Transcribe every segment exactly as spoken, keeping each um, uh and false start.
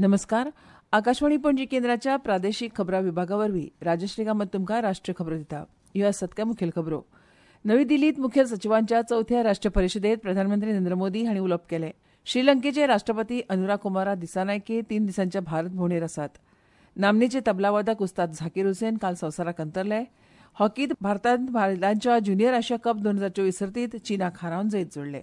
नमस्कार. आकाशवाणी पणजी केंद्राच्या प्रादेशीक खबरां विभागा वरवीं राजश्री कामत तुमकां राष्ट्रीय खबरो दिता. ह्यो आसात काय मुखेल खबरो. नवी दिल्लींत मुखेल सचिवांच्या चवथ्या राष्ट्रीय परिशदेंत प्रधानमंत्री नरेंद्र मोदी हांणी उलोवप केलें. श्रीलंकेचे राष्ट्रपती अनुरा कुमारा दिसानायके तीन दिसांच्या भारत भोंवडेर आसात. नामनेचे तबलावादक उस्ताद झाकीर हुसेन काल संवसाराक अंतरले. हॉकीत भारतान बायलांच्या ज्युनियर आशिया कप दोन हजार चोवीस सर्तीत चीनाक हारोवन जैत जोडलें.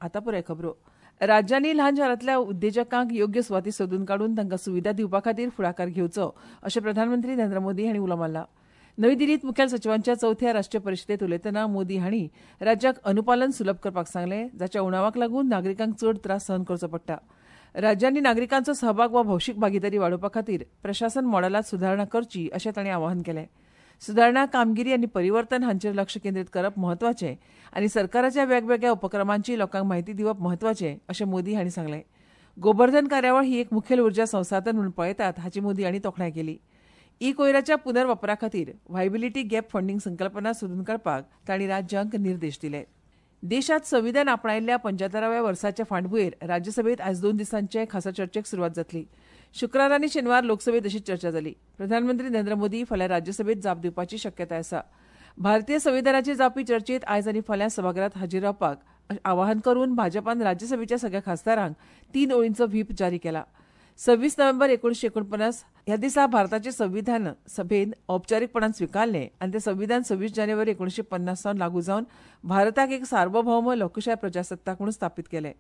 आतां पुराय खबरो. राज्यांनी ल्हान शारांतल्या उद्देजकांक योग्य सुवाती सोदून काडून तांकां सुविधा दिवपा खातीर फुडाकार घेवचो अशें प्रधानमंत्री नरेंद्र मोदी हांणी उलो मारला. नवी दिल्लींत मुखेल सचिवांच्या चवथ्या राष्ट्रीय परिशदेंत उलयतना मोदी हांणी राज्याक अनुपालन सुलभ करपाक सांगलें, जाच्या उणावाक लागून नागरिकांक चड त्रास सहन करचो पडटा. राज्यांनी नागरिकांचो सहभाग वा भौशीक भागिदारी वाडोवपा खातीर प्रशासन मॉडेलांत सुदारणा करची अशें तांणी आवाहन केलें. सुदारणा, कामगिरी आनी परिवर्तन हांचेर लक्ष केंद्रीत करप म्हत्वाचें आनी सरकाराच्या वेगवेगळ्या उपक्रमांची लोकांक म्हायती दिवप म्हत्वाचें अशें मोदी हांणी सांगलें. गोबर्धन कार्यावळ ही एक मुखेल उर्जा संसाधन म्हूण पळयतात हाची मोदी हांणी तोखणाय केली. ई कोयराच्या पुनर्वापरा खातीर व्हायबिलिटी गॅप फंडींग संकल्पना सोदून काडपाक तांणी राज्यांक निर्देश दिले. देशांत संविधान आपणायिल्ल्या पंच्यात्तराव्या वर्साच्या फाटभुंयेर राज्यसभेत आयज दोन दिसांचे खासा चर्चेक सुरवात जातली. शुक्रार आनी शेनवार लोकसभेत अशी चर्चा जाली. प्रधानमंत्री नरेंद्र मोदी फाल्यां राज्यसभेत जाप दिवपाची शक्यताय आसा. भारतीय संविधानाचेर जावपी चर्चेत आयज आनी फाल्यां सभाघरांत हाजीर रावपाक आवाहन करून भाजपान राज्यसभेच्या सगळ्या खासदारांक तीन ओळींचो व्हीप जारी केला. सव्वीस नोव्हेंबर एकुणशे एकुणपन्नास ह्या दिसा भारताचें संविधान सभेन औपचारीकपणान स्विकारलें आनी तें संविधान सव्वीस जानेवारी एकुणशे पन्नास सावन लागू जावन भारताक एक सार्वभौम लोकशाय प्रजासत्ताक म्हणून स्थापीत केलें.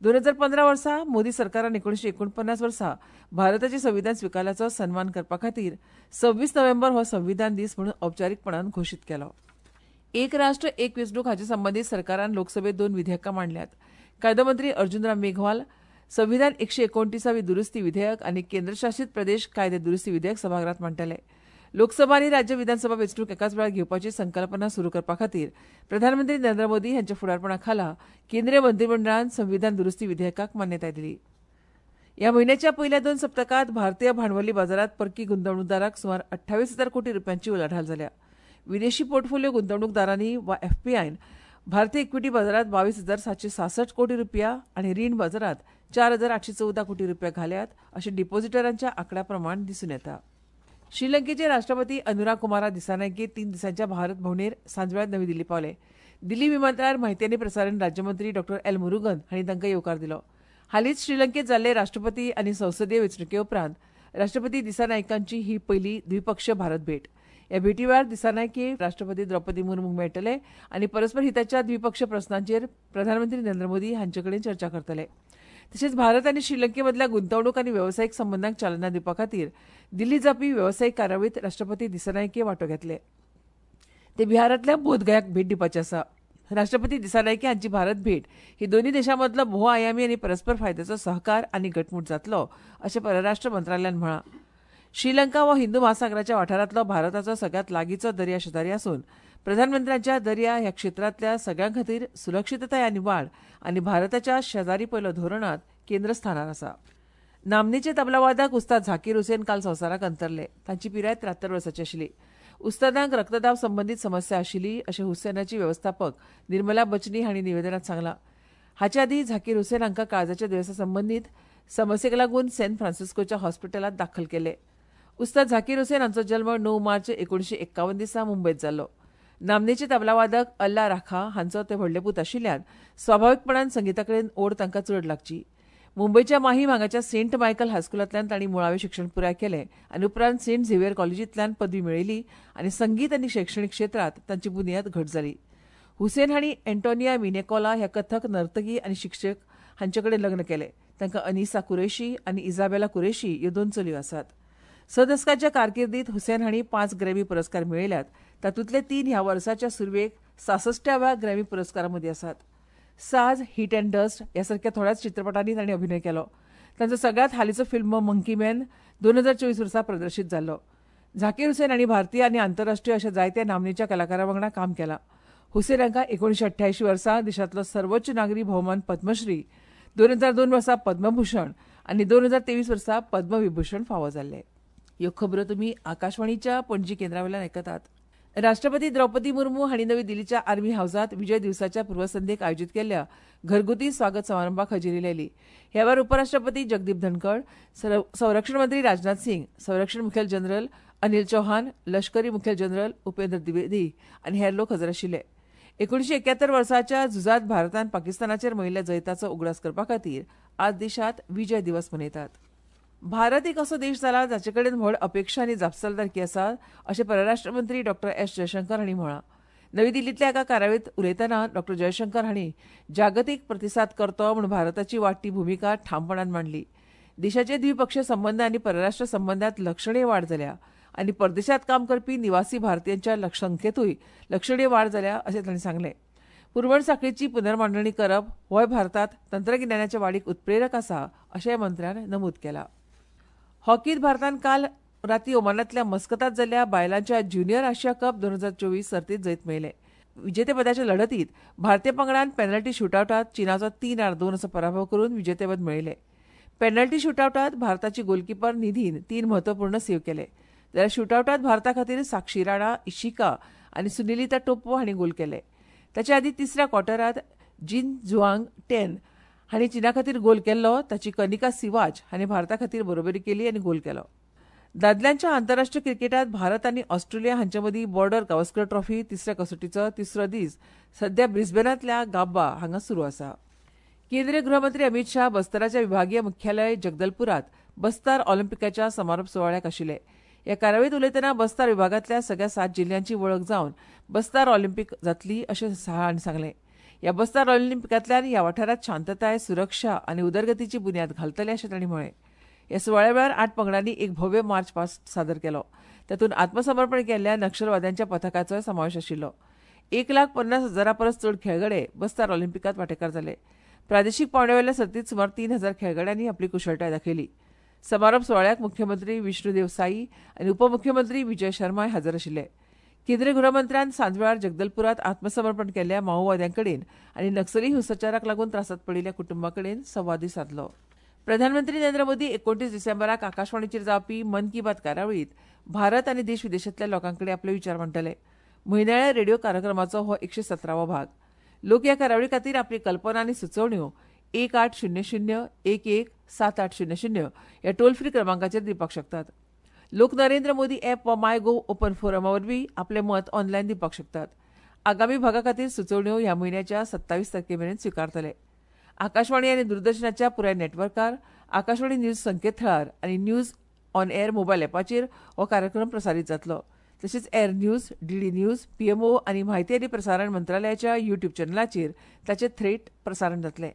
दोन हजार पंदरा वर्सा मोदी सरकारान एकुणशे एकुणपन्नास वर्सा भारताचें संविधान स्विकारल्याचो सन्मान करपा खातीर सव्वीस नोव्हेंबर हो संविधान दीस म्हणून औपचारीकपणान घोशीत केलो. एक राष्ट्र एक वेंचणूक हाचे संबंदीत सरकारान लोकसभेत दोन विधेयकां मांडल्यात. कायदो मंत्री अर्जुनराम मेघवाल संविधान एकशे एकोणतीसावी दुरुस्ती विधेयक आनी केंद्रशासीत प्रदेश कायदे दुरुस्ती विधेयक सभाघरांत मांडटले. लोकसभा आनी राज्य विधानसभा वेंचणूक एकाच वेळार घेवपाची संकल्पना सुरू करपा खातीर प्रधानमंत्री नरेंद्र मोदी हांच्या फुडारपणा खाला केंद्रीय मंत्रीमंडळान संविधान दुरुस्ती विधेयकाक मान्यताय दिली. ह्या म्हयन्याच्या पयल्या दोन सप्तकांत भारतीय भांडवली बाजारांत परकी गुंतवणूकदारांक सुमार अठ्ठावीस हजार कोटी रुपयांची उलाढाल जाल्या. विदेशी पोर्टफोलिओ गुंतवणूकदारांनी वा एफपीआयन भारतीय इक्विटी बाजारांत बावीस हजार सातशे सासष्ट कोटी रुपया आनी रीण बाजारांत चार हजार आठशे चवदा कोटी रुपया घाल्यात अशें डिपॉझिटरांच्या आंकड्या प्रमाण दिसून येता. श्रीलंकेचे राष्ट्रपती अनुरा कुमारा दिसानायके तीन दिसांच्या भारत भोंवडेर सांजवेळार नवी दिल्ली पावले. दिल्ली विमानतळार म्हायती आनी प्रसारण राज्यमंत्री डॉ एल मुरुगन हांणी तांकां येवकार दिलो. हालींच श्रीलंकेत जाल्ले राष्ट्रपती आनी संसदीय वेंचणुके उपरांत राष्ट्रपती दिसानायकांची ही पयली द्विपक्षीय भारत भेट. ह्या भेटी वेळार दिसानायके राष्ट्रपती द्रौपदी मुर्मूक मेळटले आनी परस्पर हिताच्या द्विपक्षीय प्रस्नांचेर प्रधानमंत्री नरेंद्र मोदी हांचे कडेन चर्चा करतले. तशेंच भारत आनी श्रीलंके मदल्या गुंतवणूक आनी वेवसायीक संबंदांक चालना दिवपा खातीर दिल्ली जावपी वेवसायीक कार्यावळींत राष्ट्रपती दिसानायके वांटो घेतले. ते बिहारांतल्या बोधगयाक भेट दिवपाचे आसा. राष्ट्रपती दिसानायके हांची भारत भेट ही दोनूय देशां मदलो भोवआयामी आनी परस्पर फायद्याचो सहकार आनी घटमूट जातलो अशें परराष्ट्र मंत्रालयान म्हळां. श्रीलंका हो हिंदू महासागराच्या वाठारांतलो भारताचो सगळ्यांत लागींचो दर्या शेजारी आसून प्रधानमंत्र्यांच्या दर्या ह्या क्षेत्रांतल्या सगळ्यां खातीर सुरक्षितताय आनी वाड आनी भारताच्या शेजारी पयलो धोरणांत केंद्रस्थानार आसा. नामनेचे तबलावादक उस्ताद झाकीर हुसेन काल संवसाराक अंतरले. तांची पिराय त्र्यात्तर वर्साची आशिल्ली. उस्तादांक रक्तदाब संबंदीत समस्या आशिल्ली अशें हुसेनाची वेवस्थापक निर्मला बचनी हांणी निवेदनांत सांगलां. हाचे आदीं झाकीर हुसेन हांकां काळजाच्या दुयेंसा संबंदीत समस्येक लागून सॅन फ्रांसिस्कोच्या हॉस्पिटलांत दाखल केले. उस्ताद झाकीर हुसेन हांचो जल्म णव मार्च एकुणशे एक्कावन दिसा मुंबयत जाल्लो. नामनेचे तबलावादक अल्ला राखा हांचो ते व्हडले पूत आशिल्ल्यान स्वाभाविकपणान संगिता कडेन ओड तांकां चड लागची. मुंबयच्या माहीम हांगाच्या सेंट मायकल हायस्कुलांतल्यान तांणी मुळावें शिक्षण पुराय केलें आनी उपरांत सेंट झेवियर कॉलेजींतल्यान पदवी मेळयली आनी संगीत आनी शैक्षणीक क्षेत्रांत तांची बुन्याद घट जाली. हुसेन हांणी एन्टोनिया मिनेकोला ह्या कथक नर्तकी आनी शिक्षक हांचे कडेन लग्न केलें. तांकां अनिसा कुरेशी आनी इजाबेला कुरेशी ह्यो दोन चलयो आसात. स दसकाच्या कारकिर्दीत हुसेन हांणी पांच ग्रॅमी पुरस्कार मेळयल्यात. तातूंतले तीन ह्या वर्साच्या सुरवेक सासश्टाव्या ग्रॅमी पुरस्कारां मदीं आसात. साज, हीट अँड डस्ट ह्या सारक्या थोड्याच चित्रपटांनी तांणी अभिनय केलो. तांचो सगळ्यांत हालींचो फिल्म मंकी मॅन दोन हजार चोवीस वर्सा प्रदर्शीत जाल्लो. झाकीर हुसेन हांणी भारतीय आनी आंतरराष्ट्रीय अशा जायत्या नामनेच्या कलाकारां वांगडा काम केलां. हुसेन हांकां एकुणशे अठ्ठ्यायशीं वर्सा देशांतलो सर्वोच्च नागरी भोवमान पद्मश्री, दोन हजार दोन वर्सा पद्मभूषण आनी दोन हजार तेवीस वर्सा पद्मविभूषण फावो जाल्ले. ह्यो खबरो तुमी आकाशवाणीच्या पणजी केंद्रावेल्यान आयकतात. राष्ट्रपती द्रौपदी मुर्मू हांणी नवी दिल्लीच्या आर्मी हावसांत विजय दिवसाच्या पूर्वसंध्येक आयोजीत केल्ल्या घरगुती स्वागत समारंभाक हजेरी लायली. ह्या वेळार उपराष्ट्रपती जगदीप धनखड, संरक्षण मंत्री राजनाथ सिंग, संरक्षण मुखेल जनरल अनिल चौहान, लष्करी मुखेल जनरल उपेंद्र द्विवेदी आनी हेर लोक हजर आशिल्ले. एकुणशे एक्यात्तर वर्साच्या झुजांत भारतान पाकिस्तानाचेर मेळिल्ल्या जैताचो उगडास करपा खातीर आज देशांत विजय दिवस मनयतात. भारत एक असो देश जाला जाचे कडेन व्हड अपेक्षा आनी जापसालदारकी आसा अशें परराष्ट्र मंत्री डॉ एस जयशंकर हांणी म्हळां. नवी दिल्लींतल्या एका कार्यावळींत उलयतना डॉ जयशंकर हांणी जागतीक प्रतिसाद करतो म्हूण भारताची वाडटी भुमिका ठामपणान मांडली. देशाचे द्विपक्षीय संबंद आनी परराष्ट्र संबंदांत लक्षणीय वाड जाल्या आनी परदेशांत काम करपी निवासी भारतीयांच्या संख्येंतूय लक्षणीय वाड जाल्या अशें तांणी सांगलें. पुरवण साखळीची पुनर्मांडणी करप होय भारतांत तंत्रगिन्यानाच्या वाडीक उत्प्रेरक आसा अशेंय मंत्र्यान नमूद केलां. हॉकीत भारतान काल राती ओमानांतल्या मस्कतांत जाल्ल्या बायलांच्या ज्युनियर आशिया कप दोन हजार चोवीस सर्तीत जैत मेळयलें. विजेतेपदाच्या लढतीत भारतीय पंगडान पेनल्टी शुटआवटांत चीनाचो तीन आड दोन असो पराभव करून विजेतेपद मेळयलें. पेनल्टी शुटआवटांत भारताची गोलकीपर निधीन तीन म्हत्वपूर्ण सेव्ह केले. जाल्यार शुटआवटांत भारता खातीर साक्षी राणा, इशिका आनी सुनिलिता टोप्पो हांणी गोल केले. ताचे आदीं तिसऱ्या क्वॉर्टरांत जिन जुआंग टेन हांणी चीना खातीर गोल केल्लो. ताची कनिका सिवाज हांणी भारता खातीर बरोबरी केली आनी गोल केलो. दादल्यांच्या आंतरराष्ट्रीय क्रिकेटांत भारत आनी ऑस्ट्रेलिया हांचे मदीं बॉर्डर गावस्कर ट्रॉफी तिसऱ्या कसोटीचो तिसरो दीस सध्या ब्रिस्बेनांतल्या गाब्बा हांगा सुरू आसा. केंद्रीय गृहमंत्री अमित शाह बस्तराच्या विभागीय मुख्यालय जगदलपुरात बस्तर ऑलिम्पिकाच्या समारोप सुवाळ्याक आशिल्ले. ह्या कार्यावळींत उलयतना बस्तर विभागांतल्या सगळ्या सात जिल्ह्यांची वळख जावन बस्तर ऑलिम्पिक जातली अशें शाह हांणी सांगलें. ह्या बस्तर ऑलिम्पिकांतल्यान ह्या वाठारांत शांतताय, सुरक्षा आनी उदरगतीची बुन्याद घालतले अशें तांणी म्हळें. ह्या सुवाळ्या वेळार आठ पंगडांनी एक भव्य मार्च पास्ट सादर केलो. तातूंत आत्मसमर्पण केल्ल्या नक्षलवाद्यांच्या पथकाचोय समावेश आशिल्लो. एक लाख पन्नास हजारा परस चड खेळगडे बस्तर ऑलिम्पिकांत वांटेकार जाले. प्रादेशीक पांवड्यावेल्या सर्तींत सुमार तीन हजार खेळगड्यांनी आपली कुशळटाय दाखयली. समारोप सुवाळ्याक मुख्यमंत्री विष्णुदेव साई आनी उपमुख्यमंत्री विजय शर्माय हजर आशिल्ले. केंद्रीय गृहमंत्र्यान सांजवेळार जगदलपुरात आत्मसमर्पण केल्ल्या माओवाद्यां कडेन आनी नक्सली हिंसाचाराक लागून त्रासांत पडिल्ल्या कुटुंबां कडेन संवादूय सादलो. प्रधानमंत्री नरेंद्र मोदी एकोणतीस डिसेंबराक आकाशवाणीचेर जावपी मन की बात कार्यावळींत भारत आनी देश विदेशांतल्या लोकां कडेन आपले विचार मांडटले. म्हयन्याळ्या रेडिओ कार्यक्रमाचो हो एकशे सतरावो भाग. लोक ह्या कार्यावळी खातीर आपली कल्पना आनी सुचोवण्यो एक आठ शून्य शून्य एक एक सात आठ शून्य शून्य ह्या टोल फ्री क्रमांकाचेर दिवपाक शकतात. लोक नरेंद्र मोदी ॲप वा माय गोव ओपन फोरमा वरवीं आपलें मत ऑनलायन दिवपाक शकतात. आगामी भागा खातीर सुचोवण्यो ह्या म्हयन्याच्या सत्तावीस तारखे मेरेन स्विकारतले. आकाशवाणी आनी दूरदर्शनाच्या पुराय नेटवर्कार, आकाशवाणी न्यूज संकेतथळार आनी न्यूज ऑन एअर मोबायल ॲपाचेर हो कार्यक्रम प्रसारीत जातलो. तशेंच air news, DD news, PMO आनी म्हायती आनी प्रसारण मंत्रालयाच्या युट्यूब चॅनलाचेर ताचें थेट प्रसारण जातलें.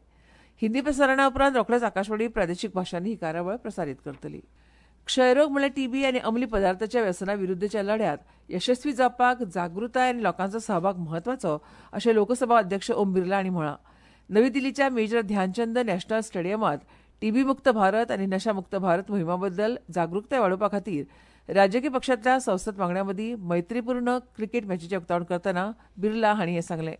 हिंदी प्रसारणा उपरांत रोखडेच आकाशवाणी प्रादेशीक भाशांनी ही कार्यावळ प्रसारीत करतली. क्षयरोग म्हणल्यार टीबी आनी अंमली पदार्थाच्या व्यसना विरुद्धच्या लढ्यांत यशस्वी जावपाक जागृताय आनी लोकांचो सहभाग म्हत्वाचो अशें लोकसभा अध्यक्ष ओम बिर्ला हांणी म्हळां. नवी दिल्लीच्या मेजर ध्यानचंद नॅशनल स्टेडियमांत टीबी मुक्त भारत आनी नशा मुक्त भारत मोहिमा बद्दल जागृताय वाडोवपा खातीर राजकीय पक्षांतल्या संसद वांगड्यां मदीं मैत्रीपूर्ण क्रिकेट मॅचीचें उक्तावण करतना बिर्ला हांणी हें सांगलें.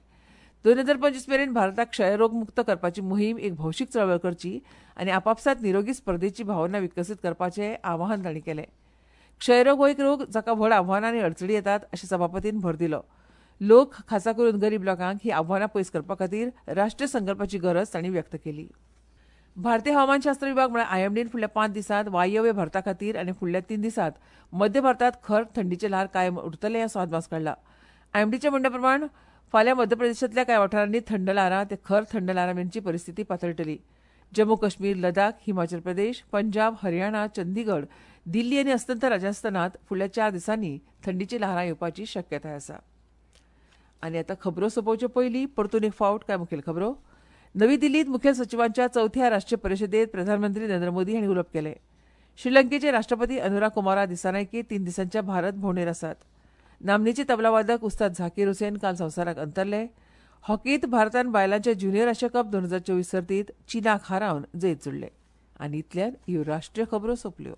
दोन हजार पंचवीस मेरेन भारताक क्षयरोग मुक्त करपाची मोहीम एक भौशीक चळवळ करची आनी आपापसांत निरोगी स्पर्धेची भावना विकसीत करपाचें आवाहन तांणी केलें. क्षयरोग हो एक रोग जाका व्हड आव्हानां आनी अडचणी येतात अशें सभापतीन भर दिलो. लोक खासा करून गरीब लोकांक ही आव्हानां पयस करपा खातीर राष्ट्रीय संकल्पाची गरज तांणी व्यक्त केली. भारतीय हवामानशास्त्र विभाग म्हळ्यार आयएमडीन फुडल्या पांच दिसांत वायव्य भारता खातीर आनी फुडल्या तीन दिसांत मध्य भारतांत खर थंडीचें ल्हार कायम उरतलें असो अदमास काडला. आयएमडीच्या म्हणण्या प्रमाण फाल्यां मध्य प्रदेशांतल्या कांय वाठारांनी थंड ल्हारां ते खर थंड ल्हारां मेरेनची परिस्थिती पातळटली. जम्मू काश्मीर, लडाख, हिमाचल प्रदेश, पंजाब, हरियाणा, चंदीगड, दिल्ली आनी अस्तंत राजस्थानांत फुडल्या चार दिसांनी थंडीची ल्हारां येवपाची शक्यताय आसा. आनी आतां खबरो सोंपोवचे पयलीं परतून एक फावट कांय मुखेल खबरो. नवी दिल्लींत मुखेल सचिवांच्या चवथ्या राष्ट्रीय परिशदेंत प्रधानमंत्री नरेंद्र मोदी हांणी उलोवप केलें. श्रीलंकेचे राष्ट्रपती अनुरा कुमारा दिसानायके तीन दिसांच्या भारत भोंवडेर आसात. नामनेचे तबलावादक उस्ताद झाकीर हुसेन काल संवसाराक अंतरले. हॉकीत भारतान बायलांच्या ज्युनियर आशिया कप दोन हजार चोवीस सर्तीत चीनाक हारावन जैत जोडलें. आनी इतल्यान ह्यो राष्ट्रीय खबरो सोंपल्यो.